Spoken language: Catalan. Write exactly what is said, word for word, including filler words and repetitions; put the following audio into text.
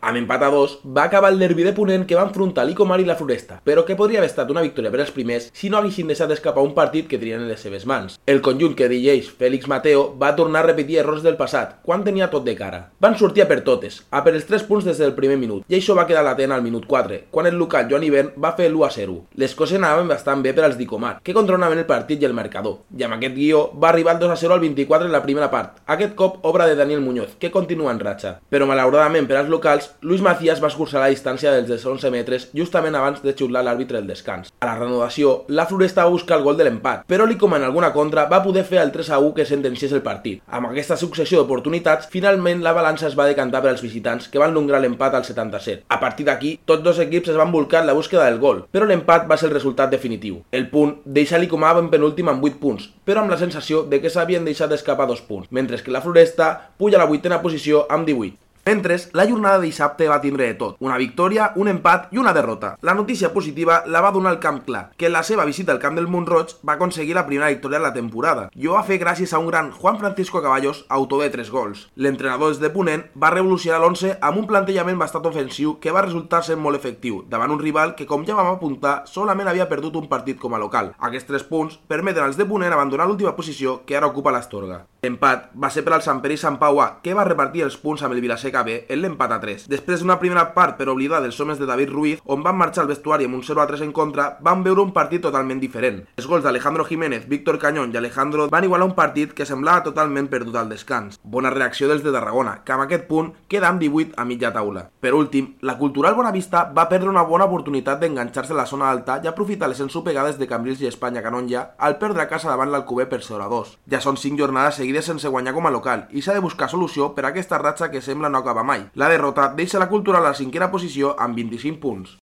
Amb empat a dos, va acabar el derbi de Ponent que va enfrontar l'Icomar i la Floresta, però que podria haver estat una victòria per als primers si no haguessin deixat escapar un partit que tenien en les seves mans. El conjunt que dirigeix Félix Mateo va tornar a repetir errors del passat, quan tenia tot de cara. Van sortir a per totes, a per els tres punts des del primer minut, i això va quedar latent al minut quatre, quan el local Joan Ibern va fer l'u a zero. Les coses anaven bastant bé per als d'Icomar, que controlaven el partit i el marcador, i amb aquest guió va arribar el dos a zero al vint-i-quatre en la primera part, aquest cop obra de Daniel Muñoz, que continua en ratxa. Però malauradament per als locals, Luis Macías va escurçar la distància dels onze metres justament abans de xiular l'àrbitre el descans. A la reanudació, la Floresta va buscar el gol de l'empat, però l'Icomar en alguna contra va poder fer el tres a u que sentenciés el partit. Amb aquesta successió d'oportunitats, finalment la balança es va decantar per als visitants, que van lograr l'empat al setanta-set. A partir d'aquí, tots dos equips es van volcar en la búsqueda del gol, però l'empat va ser el resultat definitiu. El punt deixa l'Icomar en penúltim amb vuit punts, però amb la sensació de que s'havien deixat d'escapar dos punts, mentre que la Floresta puja a la vuitena posició amb divuit. Mentre, la jornada de dissabte va tindre de tot, una victòria, un empat i una derrota. La notícia positiva la va donar el Camp Clar, que en la seva visita al camp del Mont-roig va aconseguir la primera victòria de la temporada, i ho va fer gràcies a un gran Juan Francisco Caballos, autor de tres gols. L'entrenador des de Ponent va revolucionar l'onze amb un plantejament bastant ofensiu que va resultar ser molt efectiu, davant un rival que, com ja vam apuntar, solament havia perdut un partit com a local. Aquests tres punts permeten als de Ponent abandonar l'última posició que ara ocupa l'Astorga. L'empat va ser per al Sant Pere i Sant Pau A, que va repartir els punts amb el Vilaseca B en l'empat a tres. Després d'una primera part per oblidar dels homes de David Ruiz, on van marxar al vestuari amb un zero a tres en contra, van veure un partit totalment diferent. Els gols d'Alejandro Jiménez, Víctor Cañón i Alejandro van igualar un partit que semblava totalment perdut al descans. Bona reacció dels de Tarragona, que amb aquest punt queda amb divuit a mitja taula. Per últim, la Cultural Bonavista va perdre una bona oportunitat d'enganxar-se a la zona alta i aprofitar les ensopegades de Cambrils i Espanya Canonja al perdre a casa davant l'Alcover per zero a dos. Ja són cinc jornades seguides sense guanyar com a local i s'ha de buscar solució per a aquesta ratxa que sembla no acabar mai. La derrota deixa la Cultural a la cinquena posició amb vint-i-cinc punts.